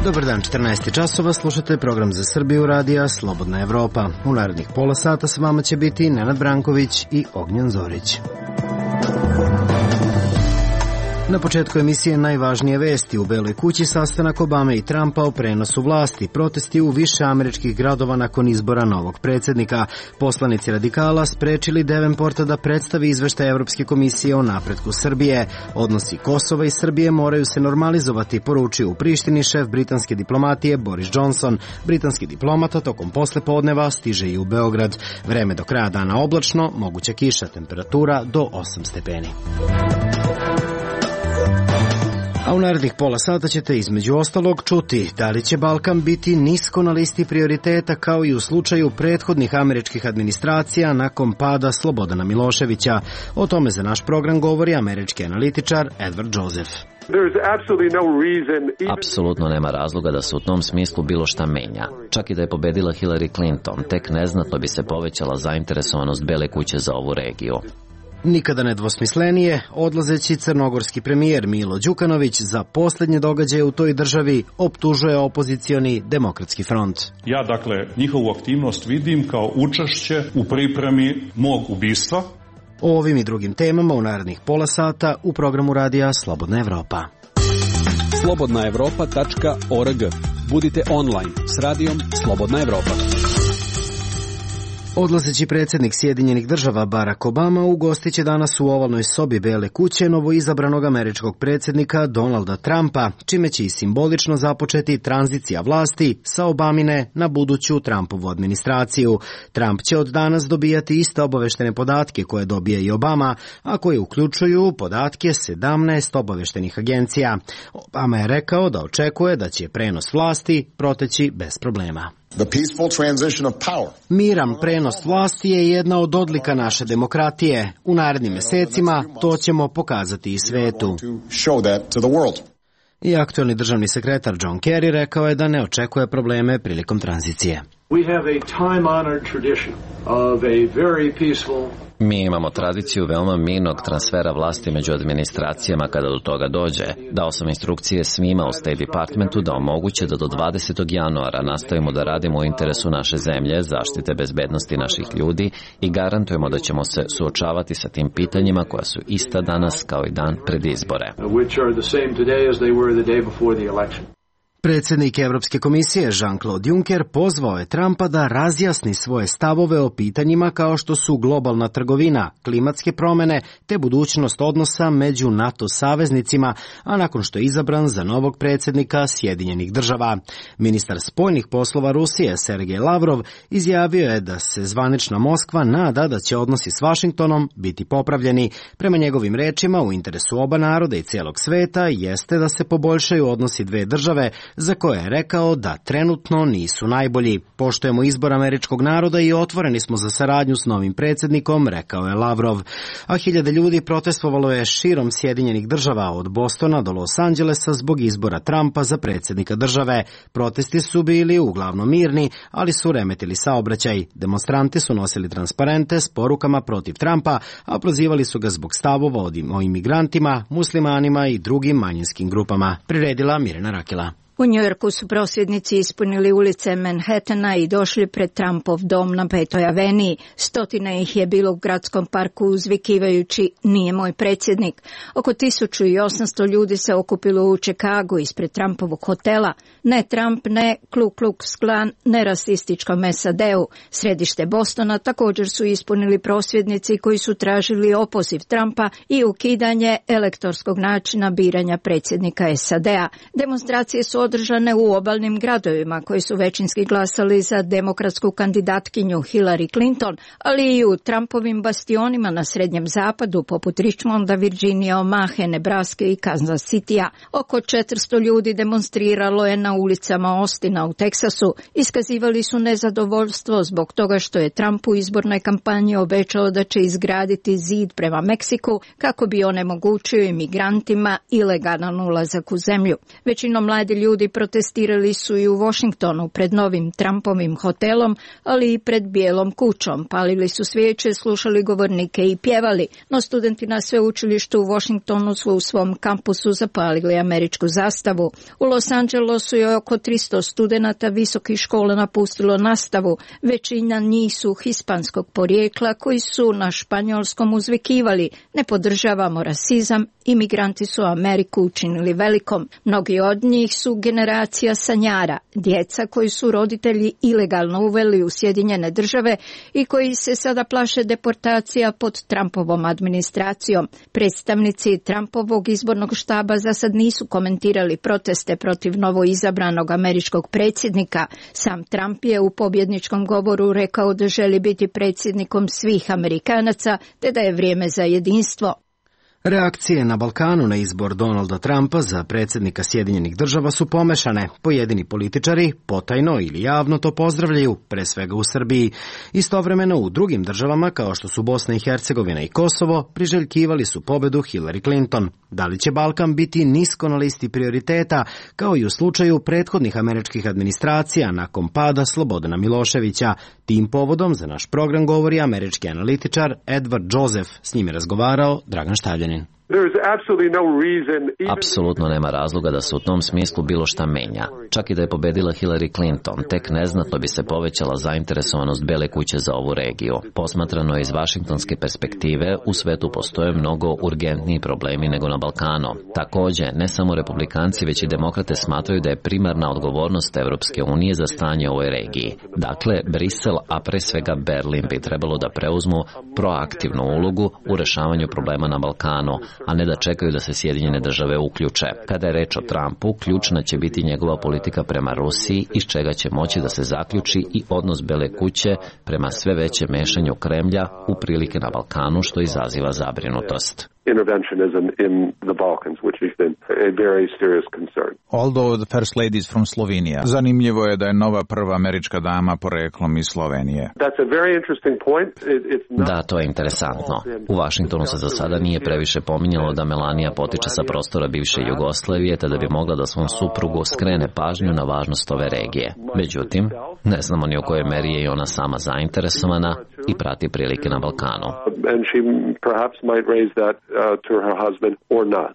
Dobar dan, 14 časova, slušate program za Srbiju radija Slobodna Evropa. U narednih pola sata s vama će biti Nenad Branković i Ognjen Zorić. Na početku emisije najvažnije vesti. U Beloj kući sastanak Obame i Trumpa o prenosu vlasti, protesti u više američkih gradova nakon izbora novog predsjednika. Poslanici radikala sprečili Davenporta da predstavi izveštaj Evropske komisije o napretku Srbije. Odnosi Kosova i Srbije moraju se normalizovati, poručio u Prištini šef britanske diplomatije Boris Johnson. Britanski diplomata tokom poslepodneva stiže i u Beograd. Vreme do kraja dana oblačno, moguća kiša, temperatura do 8 stepeni. A u narednih pola sata ćete između ostalog čuti da li će Balkan biti nisko na listi prioriteta kao i u slučaju prethodnih američkih administracija nakon pada Slobodana Miloševića. O tome za naš program govori američki analitičar Edward Joseph. Apsolutno nema razloga da se u tom smislu bilo šta menja. Čak i da je pobedila Hillary Clinton, tek neznatno bi se povećala zainteresovanost Bele kuće za ovu regiju. Nikada nedvosmislenije, odlazeći crnogorski premijer Milo Đukanović za posljednje događaje u toj državi optužuje opozicioni Demokratski front. Ja, njihovu aktivnost vidim kao učešće u pripremi mog ubistva. O ovim i drugim temama u narednih pola sata u programu radija Slobodna Evropa. slobodnaevropa.org. Budite online s radijom Slobodna Evropa. Odlazeći predsjednik Sjedinjenih država Barack Obama ugostit će danas u ovalnoj sobi Bele kuće novoizabranog američkog predsjednika Donalda Trumpa, čime će i simbolično započeti tranzicija vlasti sa Obamine na buduću Trumpovu administraciju. Trump će od danas dobijati iste obaveštene podatke koje dobije i Obama, a koje uključuju podatke 17 obaveštenih agencija. Obama je rekao da očekuje da će prenos vlasti proteći bez problema. Miran prenos vlasti je jedna od odlika naše demokratije. U narednim mesecima to ćemo pokazati i svetu. I aktuelni državni sekretar John Kerry rekao je da ne očekuje probleme prilikom tranzicije. Mi imamo tradiciju veoma mirnog transfera vlasti među administracijama kada do toga dođe. Dao sam instrukcije svima u State Departmentu da omoguće da do 20. januara nastavimo da radimo u interesu naše zemlje, zaštite bezbednosti naših ljudi i garantujemo da ćemo se suočavati sa tim pitanjima koja su ista danas kao i dan pred izbore. Predsjednik Evropske komisije Jean-Claude Juncker pozvao je Trumpa da razjasni svoje stavove o pitanjima kao što su globalna trgovina, klimatske promjene te budućnost odnosa među NATO saveznicima, a nakon što je izabran za novog predsjednika Sjedinjenih država. Ministar spoljnih poslova Rusije Sergej Lavrov izjavio je da se zvanična Moskva nada da će odnosi s Vašingtonom biti popravljeni. Prema njegovim rečima, u interesu oba naroda i cijelog sveta jeste da se poboljšaju odnosi dve države, za koje je rekao da trenutno nisu najbolji. Poštujemo izbor američkog naroda i otvoreni smo za saradnju s novim predsjednikom, rekao je Lavrov. A hiljade ljudi protestovalo je širom Sjedinjenih država od Bostona do Los Angelesa zbog izbora Trumpa za predsjednika države. Protesti su bili uglavnom mirni, ali su remetili saobraćaj. Demonstranti su nosili transparente s porukama protiv Trumpa, a prozivali su ga zbog stavova o imigrantima, muslimanima i drugim manjinskim grupama. Priredila Mirjana Rakela. U Njujorku su prosvjednici ispunili ulice Manhattana i došli pred Trumpov dom na 5. aveniji. Stotine ih je bilo u gradskom parku uzvikivajući "Nije moj predsjednik". Oko 1800 ljudi se okupilo u Čikagu ispred Trumpovog hotela. Ne Trump, ne Ku Klux Klan, ne rasističkom SAD-u. Središte Bostona također su ispunili prosvjednici koji su tražili opoziv Trumpa i ukidanje elektorskog načina biranja predsjednika SAD-a. Demonstracije su održane u obalnim gradovima koji su većinski glasali za demokratsku kandidatkinju Hillary Clinton, ali i u Trumpovim bastionima na Srednjem zapadu poput Richmonda, Virginija, Omahe, Nebraske i Kansas Citya. Oko 400 ljudi demonstriralo je na ulicama Austina u Teksasu. Iskazivali su nezadovoljstvo zbog toga što je Trump u izbornoj kampanji obećao da će izgraditi zid prema Meksiku kako bi onemogućio imigrantima ilegalan ulazak u zemlju. Većinom mladi ljudi ljudi protestirali su i u Washingtonu pred novim Trumpovim hotelom, ali i pred Bijelom kućom. Palili su svijeće, slušali govornike i pjevali, no studenti na sveučilištu u Washingtonu su u svom kampusu zapalili američku zastavu. U Los Angelesu je oko 300 studenata visokih škola napustilo nastavu. Većina njih su hispanskog porijekla koji su na španjolskom uzvikivali: ne podržavamo rasizam, imigranti su Ameriku učinili velikom. Mnogi od njih su generacija sanjara, djeca koji su roditelji ilegalno uveli u Sjedinjene države i koji se sada plaše deportacija pod Trumpovom administracijom. Predstavnici Trumpovog izbornog štaba za sad nisu komentirali proteste protiv novoizabranog američkog predsjednika. Sam Trump je u pobjedničkom govoru rekao da želi biti predsjednikom svih Amerikanaca te da je vrijeme za jedinstvo. Reakcije na Balkanu na izbor Donalda Trumpa za predsjednika Sjedinjenih država su pomešane. Pojedini političari potajno ili javno to pozdravljaju, pre svega u Srbiji. Istovremeno u drugim državama, kao što su Bosna i Hercegovina i Kosovo, priželjkivali su pobedu Hillary Clinton. Da li će Balkan biti nisko na listi prioriteta, kao i u slučaju prethodnih američkih administracija nakon pada Slobodana Miloševića? Tim povodom za naš program govori američki analitičar Edward Joseph. S njim je razgovarao Dragan Štavljanin. Apsolutno nema razloga da se u tom smislu bilo šta menja. Čak i da je pobedila Hillary Clinton, tek neznatno bi se povećala zainteresovanost Bele kuće za ovu regiju. Posmatrano iz vašingtonske perspektive, u svetu postoje mnogo urgentniji problemi nego na Balkanu. Takođe, ne samo republikanci, već i demokrate smatraju da je primarna odgovornost Evropske unije za stanje u ovoj regiji. Dakle, Brisel, a pre svega Berlin, bi trebalo da preuzmu proaktivnu ulogu u rešavanju problema na Balkanu, a ne da čekaju da se Sjedinjene države uključe. Kada je reč o Trumpu, ključna će biti njegova politika prema Rusiji, iz čega će moći da se zaključi i odnos Bele kuće prema sve većem mešanju Kremlja u prilike na Balkanu, što izaziva zabrinutost. Interventionism in the Balkans, which has been a very serious concern. Although the first lady is from Slovenia. Zanimljivo je da je nova prva američka dama poreklom iz Slovenije. That's a very interesting point. Da, to je interesantno. U Vašingtonu se za sada nije previše pominjalo da Melania potiče sa prostora bivše Jugoslavije, te da bi mogla da svom suprugu skrene pažnju na važnost ove regije. Međutim, ne znamo ni u kojoj meri je i ona sama zainteresovana i prati prilike na Balkanu. And she perhaps might raise that to her husband or not.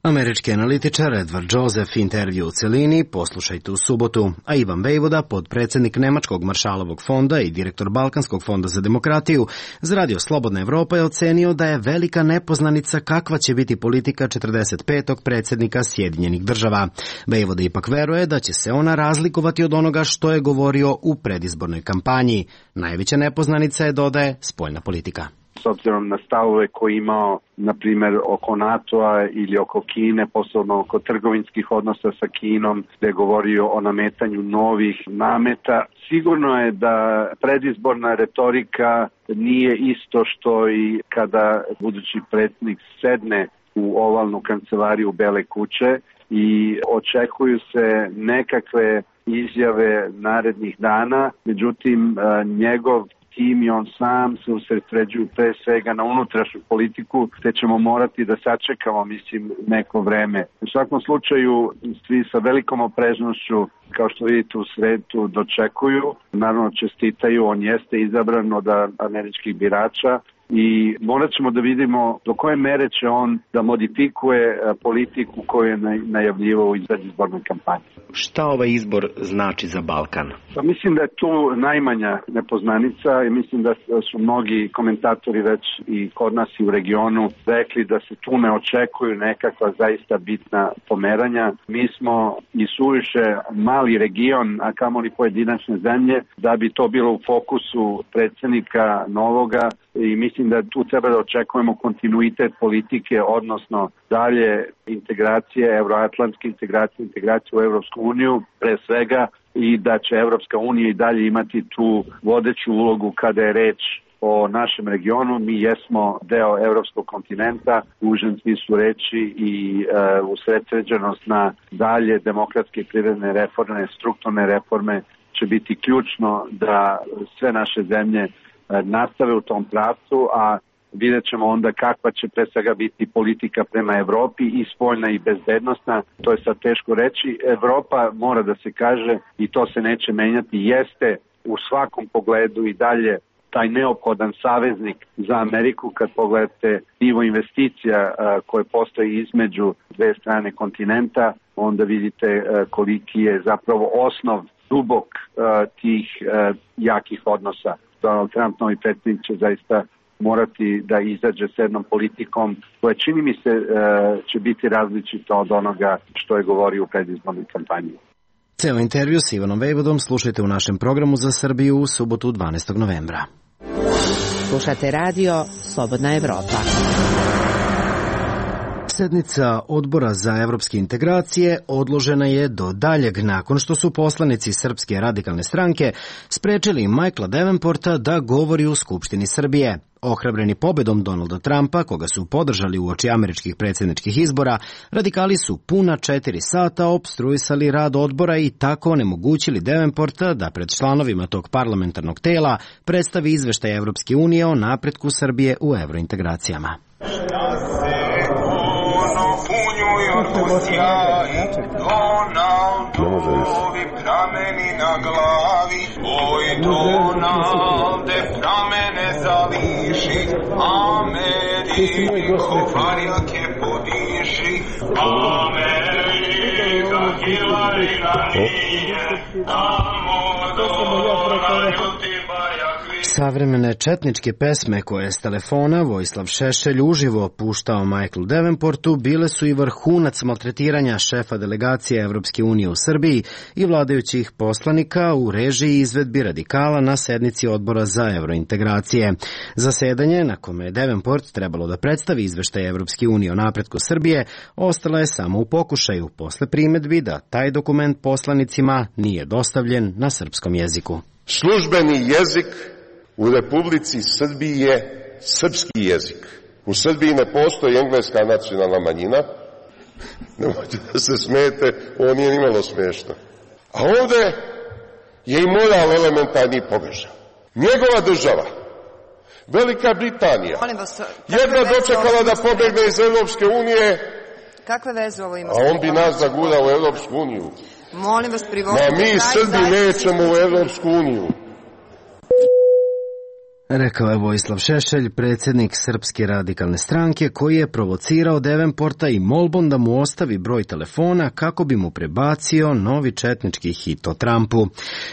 Američki analitičar Edward Joseph, intervju u celini poslušajte u subotu, a Ivan Vejvoda, podpredsjednik Nemačkog Maršalovog fonda i direktor Balkanskog fonda za demokratiju, za Radio Slobodna Evropa je ocenio da je velika nepoznanica kakva će biti politika 45. predsjednika Sjedinjenih država. Vejvoda ipak veruje da će se ona razlikovati od onoga što je govorio u predizbornoj kampanji. Najveća nepoznanica je, dodaje, spoljna politika. S obzirom na stavove koje imao, na primjer, oko NATO-a ili oko Kine, posebno oko trgovinskih odnosa sa Kinom, gdje je govorio o nametanju novih nameta. Sigurno je da predizborna retorika nije isto što i kada budući predsjednik sedne u ovalnu kancelariju Bele kuće i očekuju se nekakve izjave narednih dana, međutim njegov tim i on sam se usredsređuju pre svega na unutrašnju politiku, te ćemo morati da sačekamo, neko vreme. U svakom slučaju, svi sa velikom opreznošću, kao što vidite u svetu, dočekuju. Naravno, čestitaju, on jeste izabran od američkih birača i morat ćemo da vidimo do koje mere će on da modifikuje politiku koju je najavljivao u predizbornoj kampanji. Šta ovaj izbor znači za Balkan? Pa mislim da je tu najmanja nepoznanica i mislim da su mnogi komentatori već i kod nas i u regionu rekli da se tu ne očekuju nekakva zaista bitna pomeranja. Mi smo i suviše mali region, a kamoli pojedinačne zemlje, da bi to bilo u fokusu predsjednika novoga i mislim da tu treba da očekujemo kontinuitet politike, odnosno dalje integracije, euroatlantske integracije u Evropsku uniju, pre svega, i da će Evropska unija i dalje imati tu vodeću ulogu kada je reč o našem regionu. Mi jesmo deo evropskog kontinenta, u užem smislu reči i usredsređenost na dalje demokratske i privredne reforme, strukturne reforme će biti ključno da sve naše zemlje nastave u tom pravcu, a vidjet ćemo onda kakva će pre svega biti politika prema Evropi i spoljna i bezbednosna. To je sad teško reći. Evropa, mora da se kaže, i to se neće menjati, jeste u svakom pogledu i dalje taj neophodan saveznik za Ameriku. Kad pogledate nivo investicija koje postoji između dve strane kontinenta, onda vidite koliki je zapravo osnov dubok tih jakih odnosa. Donald Trump, novi predsjednik, će zaista morati da izađe s jednom politikom koja, čini mi se, će biti različita od onoga što je govorio u predizbornoj kampanji. Ceo intervju s Ivanom Vejvodom slušajte u našem programu za Srbiju u subotu 12. novembra. Slušate radio Slobodna Evropa. Sednica Odbora za evropske integracije odložena je do daljeg nakon što su poslanici Srpske radikalne stranke sprečili Michaela Davenporta da govori u Skupštini Srbije. Ohrabreni pobedom Donalda Trumpa, koga su podržali uoči američkih predsjedničkih izbora, radikali su puna 4 sata opstruisali rad odbora i tako onemogućili Davenporta da pred članovima tog parlamentarnog tela predstavi izveštaj Evropske unije o napretku Srbije u evrointegracijama. Donaldovi prameni na glavi, oj Donalde pramene zališi, Ameriko varilke podiši, Amerika Hillary na nije, tamo dolaraju ti bajak. Savremene četničke pesme koje je s telefona Vojislav Šešelj uživo puštao Michaelu Davenportu bile su i vrhunac maltretiranja šefa delegacije Evropske unije u Srbiji i vladajućih poslanika u režiji izvedbi radikala na sednici Odbora za evrointegracije. Zasedanje, na kome je Davenport trebalo da predstavi izveštaj Evropske unije o napretku Srbije, ostala je samo u pokušaju posle primedbi da taj dokument poslanicima nije dostavljen na srpskom jeziku. Službeni jezik u Republici Srbiji je srpski jezik. U Srbiji ne postoji engleska nacionalna manjina. Nemojte da se smijete, ovo nije nimalo smiješno. A ovde je i moral elementarni pogrešan. Njegova država, Velika Britanija, jedna dočekala da pobegne iz Evropske unije, kakve veze ovo ima? A on bi nas zagurao u Evropsku uniju. Molim vas, privodite. Ma mi Srbi nećemo u Evropsku uniju. Rekao je Vojislav Šešelj, predsjednik Srpske radikalne stranke, koji je provocirao Davenporta i molbom da mu ostavi broj telefona kako bi mu prebacio novi četnički hit o Trumpu.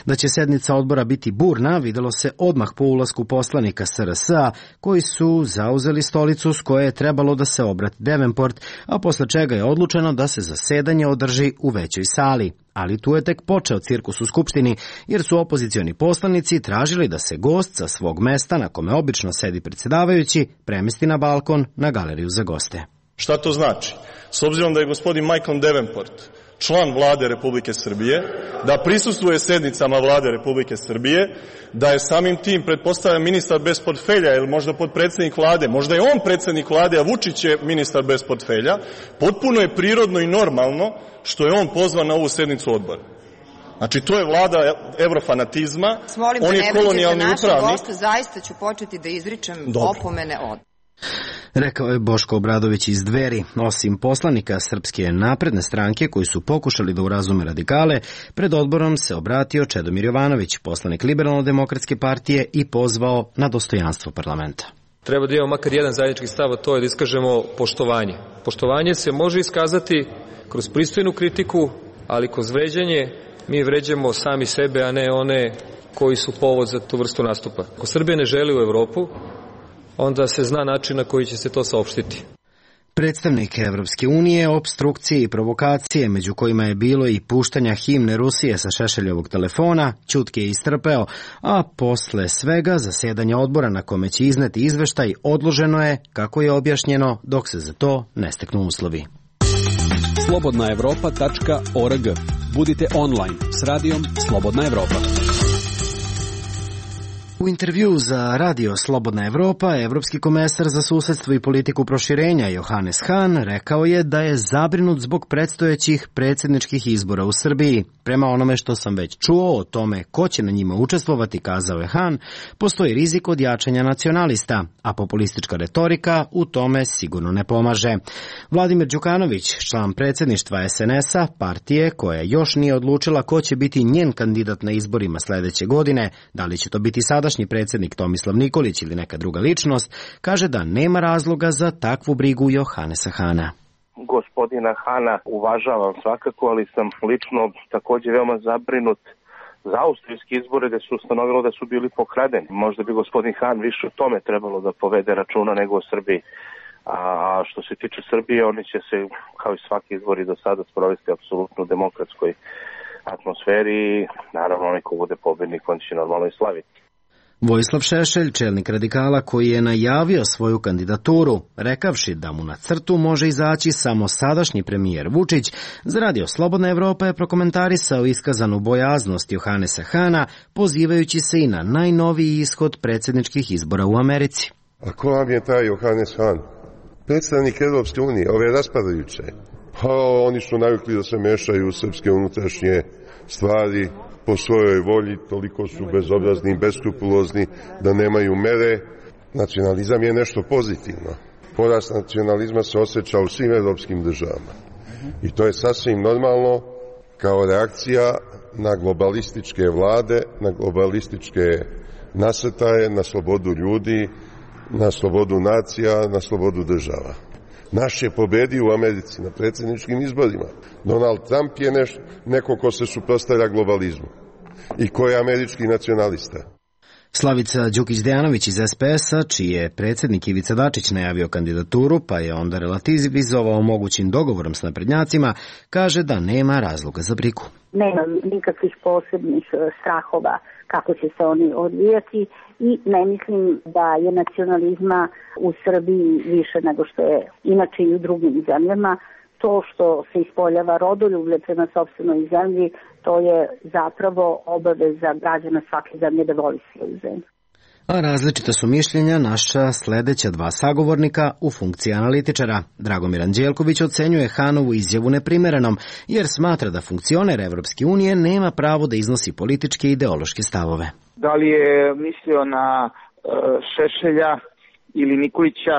Da će sednica odbora biti burna, videlo se odmah po ulasku poslanika SRS-a, koji su zauzeli stolicu s koje je trebalo da se obrati Davenport, a posle čega je odlučeno da se zasedanje održi u većoj sali. Ali tu je tek počeo cirkus u Skupštini, jer su opozicioni poslanici tražili da se gost sa svog mesta, na kome obično sedi predsjedavajući, premesti na balkon na galeriju za goste. Šta to znači? S obzirom da je gospodin Michael Davenport član vlade Republike Srbije, da prisustvuje sednicama vlade Republike Srbije, da je samim tim, pretpostavlja, ministar bez portfelja ili možda potpredsjednik vlade, možda je on predsjednik vlade, a Vučić je ministar bez portfelja, potpuno je prirodno i normalno što je on pozvan na ovu sednicu odbora. Znači, to je vlada evrofanatizma, on je kolonijalni upravnik. Gosta, zaista ću početi da izričem opomene od. Rekao je Boško Obradović iz Dveri. Osim poslanika Srpske napredne stranke koji su pokušali da urazume radikale, pred odborom se obratio Čedomir Jovanović, poslanik Liberalno-demokratske partije, i pozvao na dostojanstvo parlamenta. Treba da imamo makar jedan zajednički stav, a to je da iskažemo poštovanje. Poštovanje se može iskazati kroz pristojnu kritiku, ali kroz vređanje mi vređamo sami sebe, a ne one koji su povod za tu vrstu nastupa. Ako Srbija ne želi u Evropu, onda se zna način na koji će se to saopštiti. Predstavnike Evropske unije, opstrukcije i provokacije, među kojima je bilo i puštanja himne Rusije sa Šešeljovog telefona, ćutke je istrpeo, a posle svega zasedanja odbora na kome će izneti izveštaj odloženo je, kako je objašnjeno, dok se za to ne steknu uslovi. slobodnaevropa.org. Budite online s radijom Slobodna Evropa. U intervju za radio Slobodna Evropa, evropski komesar za susedstvo i politiku proširenja Johannes Hahn rekao je da je zabrinut zbog predstojećih predsjedničkih izbora u Srbiji. Prema onome što sam već čuo o tome ko će na njima učestvovati, kazao je Hahn, postoji rizik od jačanja nacionalista, a populistička retorika u tome sigurno ne pomaže. Vladimir Đukanović, član predsjedništva SNS-a, partije koja još nije odlučila ko će biti njen kandidat na izborima sledeće godine, da li će to biti sadašnji predsjednik Tomislav Nikolić ili neka druga ličnost, kaže da nema razloga za takvu brigu Johannesa Hahna. Gospodina Hahna uvažavam svakako, ali sam lično također veoma zabrinut za austrijski izbore gde se ustanovilo da su bili pokradeni. Možda bi gospodin Hahn više o tome trebalo da povede računa nego o Srbiji. A što se tiče Srbije, oni će se, kao i svaki izbori do sada, sprovesti apsolutno u demokratskoj atmosferi i naravno onaj ko bude pobednik, on će normalno i slaviti. Vojislav Šešelj, čelnik radikala koji je najavio svoju kandidaturu, rekavši da mu na crtu može izaći samo sadašnji premijer Vučić, za radio Slobodna Evropa je prokomentarisao iskazanu bojaznost Johannesa Hahna, pozivajući se i na najnoviji ishod predsjedničkih izbora u Americi. A ko vam je taj Johannes Hahn? Predstavnik Evropske unije, ove raspadajuće. Oni su navikli da se mešaju u srpske unutrašnje stvari po svojoj volji, toliko su bezobrazni i beskrupulozni da nemaju mere. Nacionalizam je nešto pozitivno. Porast nacionalizma se osjeća u svim evropskim državama. I to je sasvim normalno kao reakcija na globalističke vlade, na globalističke nasrtaje, na slobodu ljudi, na slobodu nacija, na slobodu država. Naš je pobedio u Americi na predsjedničkim izborima. Donald Trump je neko ko se suprotstavlja globalizmu i ko je američki nacionalista. Slavica Đukić-Dejanović iz SPS-a, čiji je predsjednik Ivica Dačić najavio kandidaturu, pa je onda relativizovao mogućim dogovorom s naprednjacima, kaže da nema razloga za brigu. Nemam nikakvih posebnih strahova kako će se oni odvijati i ne mislim da je nacionalizma u Srbiji više nego što je inače i u drugim zemljama. To što se ispoljava rodoljublje prema sopstvenoj zemlji, to je zapravo obaveza građana svake zemlje da voli svoju zemlju. A različita su mišljenja naša sledeća dva sagovornika u funkciji analitičara. Dragomir Anđelković ocenjuje Hahnovu izjavu neprimerenom, jer smatra da funkcioner Evropske unije nema pravo da iznosi političke i ideološke stavove. Da li je mislio na Šešelja ili Nikolića,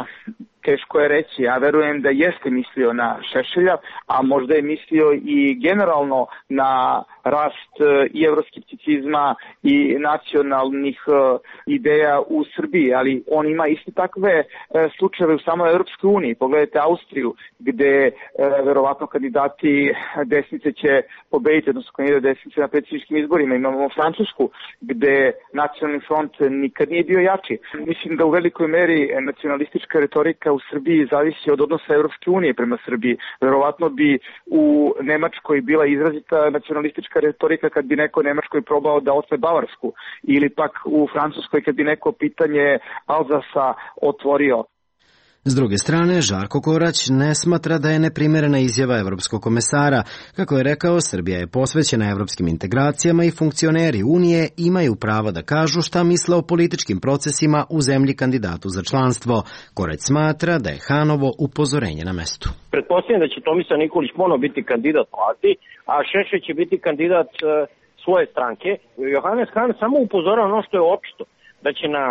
teško je reći. Ja verujem da jeste mislio na Šešelja, a možda je mislio i generalno na rast i evroskepticizma i nacionalnih ideja u Srbiji, ali on ima isto takve slučajeve u samoj Evropskoj uniji. Pogledajte Austriju, gde verovatno kandidati desnice će pobediti, odnosno kandidati desnice na predsjedničkim izborima. Imamo Francusku, gde nacionalni front nikad nije bio jači. Mislim da u velikoj meri nacionalistička retorika u Srbiji zavisi od odnosa Evropske unije prema Srbiji. Verovatno bi u Nemačkoj bila izrazita nacionalistička retorika kad bi neko u Nemačkoj probao da otme Bavarsku, ili pak u Francuskoj kad bi neko pitanje Alzasa otvorio. S druge strane, Žarko Korać ne smatra da je neprimerena izjava evropskog komesara. Kako je rekao, Srbija je posvećena evropskim integracijama i funkcioneri Unije imaju pravo da kažu šta misle o političkim procesima u zemlji kandidatu za članstvo. Korać smatra da je Hahnovo upozorenje na mestu. Pretpostavljam da će Tomislav Nikolić ponovo biti kandidat vlasti, a Šešelj će biti kandidat svoje stranke. Johannes Hahn samo upozorava ono što je očito, da će na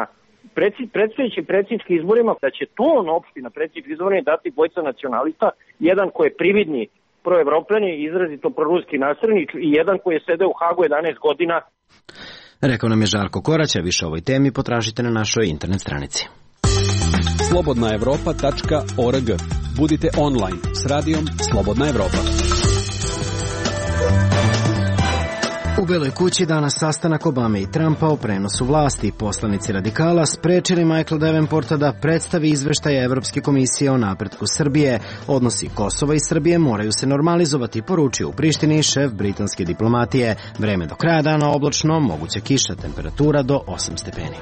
predstojeći predsjedničkim izborima, da će ton opšti na predsjedničkim izborima dati dvojica nacionalista, jedan koji je prividni proevropljan i izrazito proruski naslednik i jedan koji je sedeo u Hagu 11 godina. Rekao nam je Žarko Korać, a više o ovoj temi potražite na našoj internet stranici. slobodnaevropa.org. Budite online s radijom Slobodna Evropa. U Beloj kući danas sastanak Obame i Trumpa o prenosu vlasti. Poslanici radikala sprečili Michaela Davenporta da predstavi izveštaje Evropske komisije o napretku Srbije. Odnosi Kosova i Srbije moraju se normalizovati, poručio u Prištini šef britanske diplomatije. Vreme do kraja dana oblačno, moguća kiša, temperatura do 8 stepeni.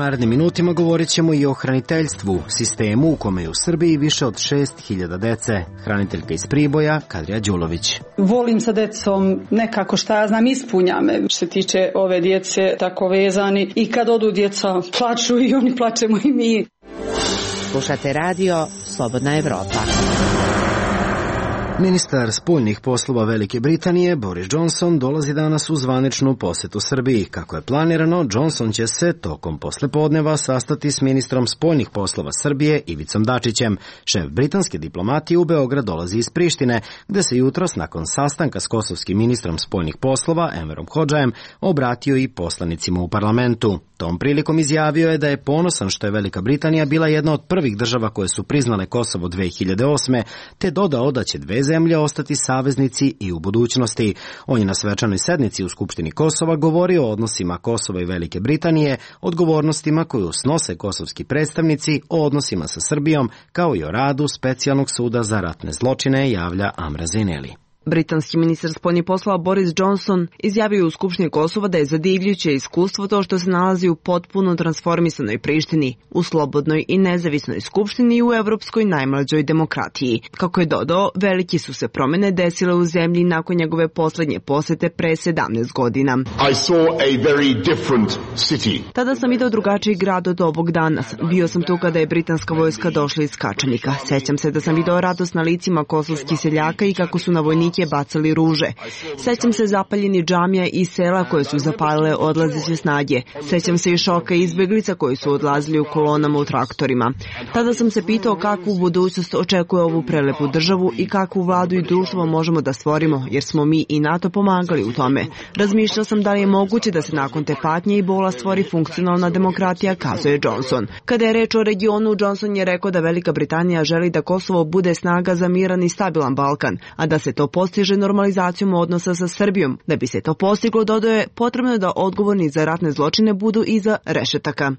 narednim minutima govorit ćemo i o hraniteljstvu, sistemu u kome je u Srbiji više od 6.000 dece. Hraniteljka iz Priboja, Kadrija Đulović. Volim sa decom, nekako šta ja znam, ispunja me. Što se tiče ove djece, tako vezani. I kad odu djeca, plaču i oni, plačemo i mi. Slušate radio Slobodna Evropa. Ministar spoljnih poslova Velike Britanije Boris Johnson dolazi danas u zvaničnu posetu Srbiji. Kako je planirano, Johnson će se tokom poslepodneva sastati s ministrom spoljnih poslova Srbije Ivicom Dačićem. Šef britanske diplomatije u Beograd dolazi iz Prištine, gde se jutros nakon sastanka s kosovskim ministrom spoljnih poslova Enverom Hodžajem obratio i poslanicima u parlamentu. Tom prilikom izjavio je da je ponosan što je Velika Britanija bila jedna od prvih država koje su priznale Kosovo 2008. te dodao da će dve zemlje ostati saveznici i u budućnosti. On je na svečanoj sednici u Skupštini Kosova govorio o odnosima Kosova i Velike Britanije, odgovornostima koju snose kosovski predstavnici, o odnosima sa Srbijom, kao i o radu Specijalnog suda za ratne zločine, javlja Amra Zineli. Britanski ministar spoljnih poslova Boris Johnson izjavio u Skupštini Kosova da je zadivljuće iskustvo to što se nalazi u potpuno transformisanoj Prištini, u slobodnoj i nezavisnoj skupštini i u evropskoj najmlađoj demokratiji. Kako je dodao, veliki su se promene desile u zemlji nakon njegove poslednje posete pre 17 godina. I saw a very different city. Tada sam video drugačiji grad od ovog danas. Bio sam tu kada je britanska vojska došla iz Kačanika. Sećam se da sam video radost na licima kosovskih seljaka i kako su na vojnike bacali ruže. Sećam se zapaljenih džamija i sela koje su zapalile odlazeće snage. Sećam se i šoka izbeglica koji su odlazili u kolonama u traktorima. Tada sam se pitao kakvu budućnost očekuje ovu prelepu državu i kakvu vladu i društvo možemo da stvorimo, jer smo mi i NATO pomagali u tome. Razmišljao sam da li je moguće da se nakon te patnje i bola stvori funkcionalna demokratija, kazuje Johnson. Kada je reč o regionu, Johnson je rekao da Velika Britanija želi da Kosovo bude snaga za miran i stabilan Balkan, a da se to postiže normalizacijom odnosa sa Srbijom. Da bi se to postiglo, dodao je, potrebno je da odgovorni za ratne zločine budu iza rešetaka.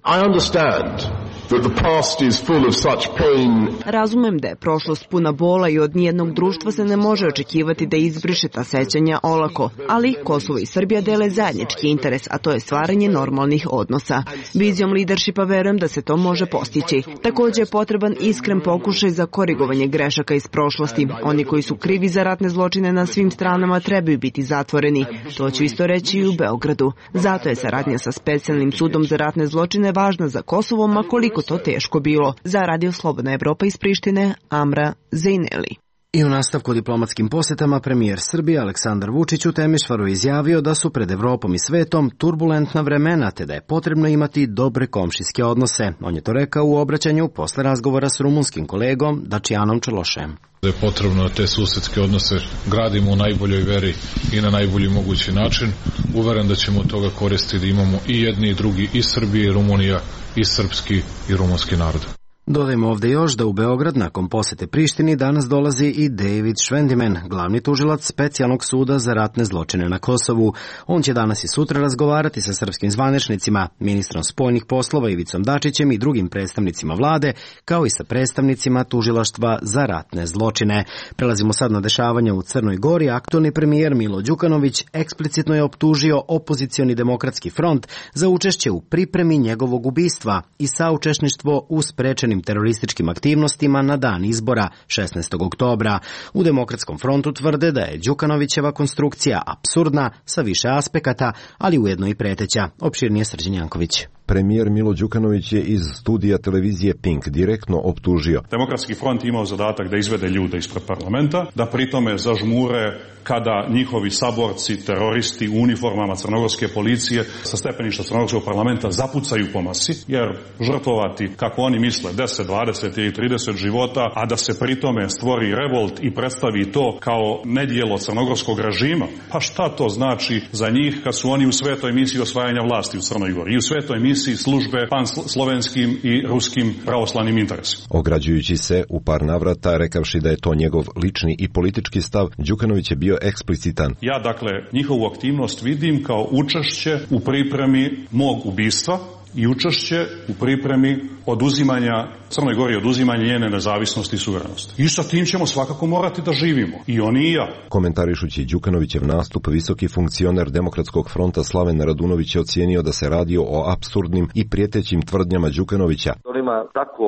Razumem da je prošlost puna bola i od nijednog društva se ne može očekivati da izbriše ta sećanja olako, ali Kosovo i Srbija dele zajednički interes, a to je stvaranje normalnih odnosa. Vizijom leadershipa verujem da se to može postići. Također je potreban iskren pokušaj za korigovanje grešaka iz prošlosti. Oni koji su krivi za ratne zločine na svim stranama trebaju biti zatvoreni. To ću isto reći i u Beogradu. Zato je saradnja sa Specijalnim sudom za ratne zločine važna za Kosovo, ma koliko to teško bilo. Za Radio Slobodna Evropa iz Prištine, Amra Zejneli. I u nastavku diplomatskim posjetama premijer Srbije Aleksandar Vučić u Temišvaru izjavio da su pred Evropom i svetom turbulentna vremena, te da je potrebno imati dobre komšijske odnose. On je to rekao u obraćanju posle razgovora s rumunskim kolegom Dačijanom Čološem. Da je potrebno da te susedske odnose gradimo u najboljoj veri i na najbolji mogući način. Uveren da ćemo od toga koristiti da imamo i jedni i drugi, i Srbije i Rumunija, i srpski i rumunski narod. Dodajmo ovde još da u Beograd nakon posete Prištini danas dolazi i David Švendimen, glavni tužilac Specijalnog suda za ratne zločine na Kosovu. On će danas i sutra razgovarati sa srpskim zvaničnicima, ministrom spoljnih poslova Ivicom Dačićem i drugim predstavnicima vlade, kao i sa predstavnicima tužilaštva za ratne zločine. Prelazimo sad na dešavanja u Crnoj Gori. Aktualni premijer Milo Đukanović eksplicitno je optužio opozicioni demokratski front za učešće u pripremi njegovog ubistva i saučesništvo u sprečenim terorističkim aktivnostima na dan izbora 16. oktobra. U Demokratskom frontu tvrde da je Đukanovićeva konstrukcija apsurdna sa više aspekata, ali ujedno i preteća. Opširnije Srđan Janković. Premijer Milo Đukanović je iz studija televizije Pink direktno optužio. Demokratski front imao zadatak da izvede ljude ispred parlamenta, da pritome zažmure kada njihovi saborci, teroristi u uniformama crnogorske policije sa stepeništa crnogorskog parlamenta zapucaju po masi, jer žrtvovati, kako oni misle, 10, 20 ili 30 života, a da se pritome stvori revolt i predstavi to kao nedjelo crnogorskog režima, pa šta to znači za njih kad su oni u svetoj misiji osvajanja vlasti u Crnoj Gori i u svetoj misiji službe panslovenskim i ruskim pravoslavnim interesima. Ograđujući se u par navrata, rekavši da je to njegov lični i politički stav, Đukanović je bio eksplicitan. Ja, dakle, njihovu aktivnost vidim kao učešće u pripremi mog ubistva i učešće u pripremi oduzimanja Crnoj Gori, oduzimanja njene nezavisnosti i suverenosti. I sa tim ćemo svakako morati da živimo, i oni i ja. Komentarišući Đukanovićev nastup, visoki funkcioner Demokratskog fronta Slaven Radunović je ocijenio da se radi o apsurdnim i prijetećim tvrdnjama Đukanovića. On ima tako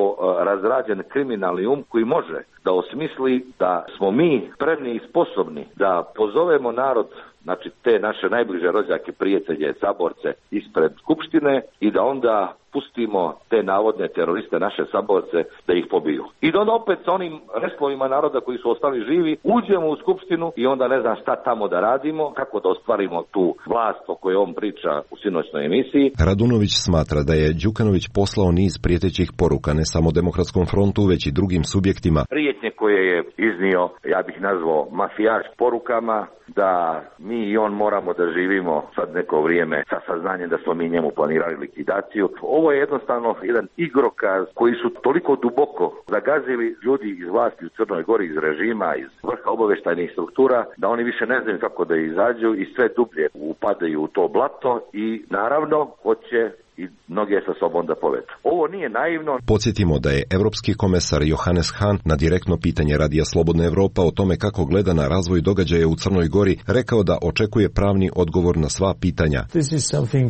razrađen kriminalni koji može da osmisli da smo mi spremni i sposobni da pozovemo narod, znači te naše najbliže rođake, prijatelje, saborce ispred Skupštine i da onda pustimo te navodne teroriste, naše saborce, da ih pobiju. I da onda opet sa onim restlovima naroda koji su ostali živi uđemo u Skupštinu i onda ne znam šta tamo da radimo, kako da ostvarimo tu vlast o kojoj on priča u sinoćnoj emisiji. Radunović smatra da je Đukanović poslao niz prijetećih poruka ne samo Demokratskom frontu, već i drugim subjektima. Prijetnje koje je iznio, ja bih nazvao mafijaškim porukama, da mi i on moramo da živimo sad neko vrijeme sa saznanjem da smo mi njemu planirali likvidaciju. Ovo je jednostavno jedan igrokaz koji su toliko duboko zagazili ljudi iz vlasti u Crnoj Gori, iz režima, iz vrha obavještajnih struktura, da oni više ne znaju kako da izađu i sve dublje upadaju u to blato i naravno hoće i mnoge sa sobom da povedu. Ovo nije naivno. Podsjetimo da je evropski komesar Johannes Hahn na direktno pitanje Radija Slobodna Evropa o tome kako gleda na razvoj događaja u Crnoj Gori rekao da očekuje pravni odgovor na sva pitanja.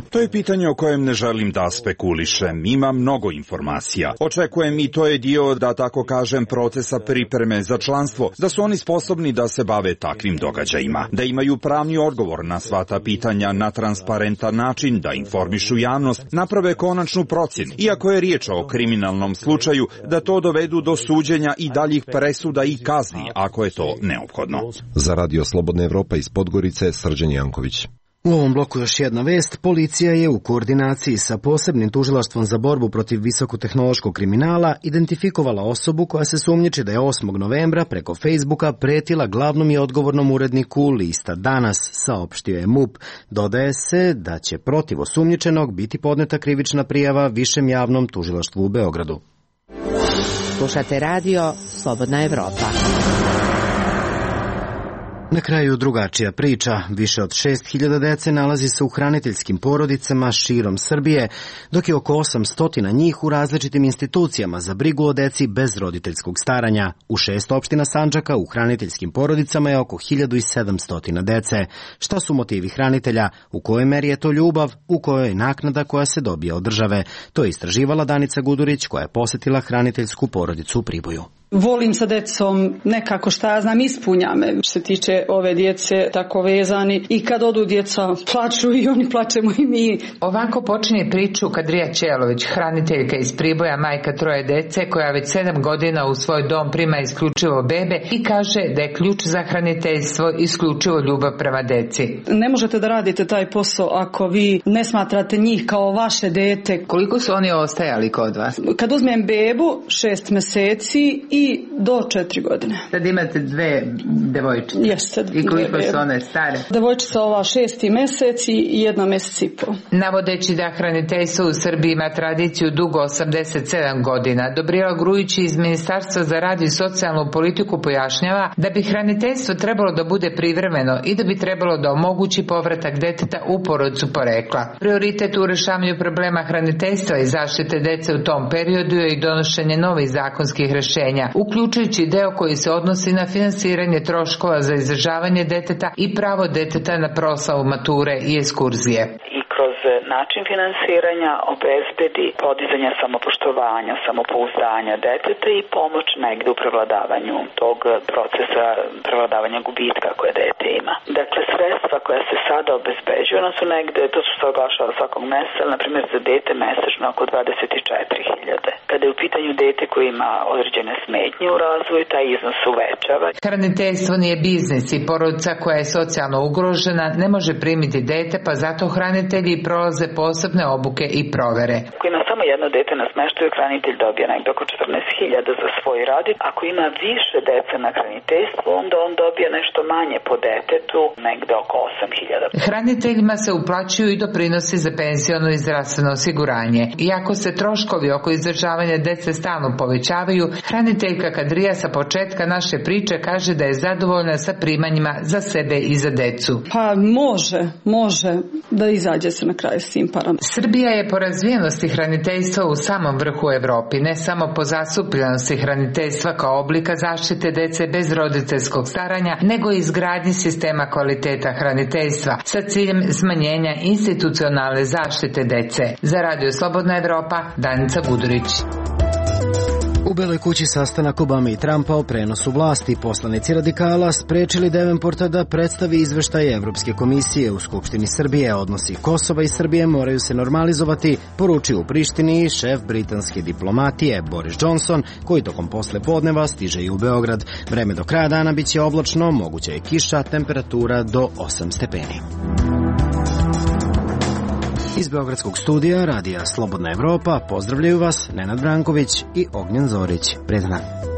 To je pitanje o kojem ne želim da spekulišem. Ima mnogo informacija. Očekujem i to je dio, da tako kažem, procesa pripreme za članstvo, da su oni sposobni da se bave takvim događajima, da imaju pravni odgovor na sva ta pitanja na transparentan način, da informišu javnost, naprave konačnu procjenu, iako je riječ o kriminalnom slučaju, da to dovedu do suđenja i daljih presuda i kazni, ako je to neophodno. Za Radio Slobodna Evropa iz Podgorice, Srđan Janković. U ovom bloku još jedna vest. Policija je u koordinaciji sa posebnim tužilaštvom za borbu protiv visokotehnološkog kriminala identifikovala osobu koja se sumnjiči da je 8. novembra preko Facebooka pretila glavnom i odgovornom uredniku lista Danas, saopštio je MUP. Dodaje se da će protiv osumnjičenog biti podneta krivična prijava Višem javnom tužilaštvu u Beogradu. Slušate radio Slobodna Evropa. Na kraju drugačija priča. Više od 6.000 dece nalazi se u hraniteljskim porodicama širom Srbije, dok je oko 800 njih u različitim institucijama za brigu o deci bez roditeljskog staranja. U 6 opština Sandžaka u hraniteljskim porodicama je oko 1.700 dece. Šta su motivi hranitelja? U kojoj meri je to ljubav? U kojoj je naknada koja se dobija od države? To je istraživala Danica Gudurić, koja je posjetila hraniteljsku porodicu u Priboju. Volim sa decom, nekako šta ja znam, ispunja me. Što se tiče ove djece, tako vezani. I kad odu djeca, plaču i oni, plačemo i mi. Ovako počinje priču Kadrija Ćelović, hraniteljka iz Priboja, majka 3 dece, koja već 7 godina u svoj dom prima isključivo bebe i kaže da je ključ za hraniteljstvo isključivo ljubav prema deci. Ne možete da radite taj posao ako vi ne smatrate njih kao vaše dete. Koliko su oni ostajali kod vas? Kad uzmem bebu, 6 mjeseci i do 4 godine. Sad imate 2 devojčice. Jeste. I koliko su one stare? Devojčica ova 6. mjesec i 1 mjesec i pol. Navodeći da hraniteljstvo u Srbiji ima tradiciju dugo 87 godina, Dobrijela Grujić iz Ministarstva za rad i socijalnu politiku pojašnjava da bi hraniteljstvo trebalo da bude privremeno i da bi trebalo da omogući povratak deteta u porodicu porekla. Prioritet u rješavanju problema hraniteljstva i zaštite dece u tom periodu je i donošenje novih zakonskih rješenja, uključujući deo koji se odnosi na finansiranje troškova za izdržavanje deteta i pravo deteta na proslavu mature i ekskurzije. Kroz način finansiranja obezbedi podizanje samopoštovanja, samopouzdanja deteta i pomoć negde u prevladavanju tog procesa prevladavanja gubitka koje dete ima. Dakle, sredstva koja se sada obezbeđuju, ona su negde, to su se oglašava svakog meseca, na primjer za dete mesečno oko 24.000. Kada je u pitanju dete koji ima određene smetnje u razvoju, taj iznos se uvećava. Hraniteljstvo nije biznis i porodica koja je socijalno ugrožena ne može primiti dete, pa zato hranitelji prolaze posebne obuke i provere. Koji ima samo samo jedno dete na smeštaju, hranitelj dobija negde oko 14.000 za svoj rad. Ako ima više dece na hraniteljstvu, onda on dobija nešto manje po detetu, negde oko 8.000. Hraniteljima se uplaćuju i doprinosi za penziono i zdravstveno osiguranje. Iako se troškovi oko izdržavanja dece stalno povećavaju, hraniteljka Kadrija sa početka naše priče kaže da je zadovoljna sa primanjima za sebe i za decu. Pa može da izađe se na kraj s tim parama. Srbija je po razvijenosti hraniteljstva u samom vrhu Evropi, ne samo po zastupljenosti hraniteljstva kao oblika zaštite dece bez roditeljskog staranja, nego i izgradnji sistema kvaliteta hraniteljstva sa ciljem smanjenja institucionalne zaštite dece. Za Radio Slobodna Evropa, Danica Gudurić. U Beloj kući sastanak Obame i Trumpa o prenosu vlasti. Poslanici radikala sprečili Davenporta da predstavi izveštaj Evropske komisije u Skupštini Srbije. Odnosi Kosova i Srbije moraju se normalizovati, poručio u Prištini šef britanske diplomatije Boris Johnson, koji tokom posle podneva stiže i u Beograd. Vreme do kraja dana biće oblačno, moguća je kiša, temperatura do 8 stepeni. Iz Beogradskog studija Radija Slobodna Evropa pozdravljaju vas Nenad Branković i Ognjen Zorić. Prijatan dan.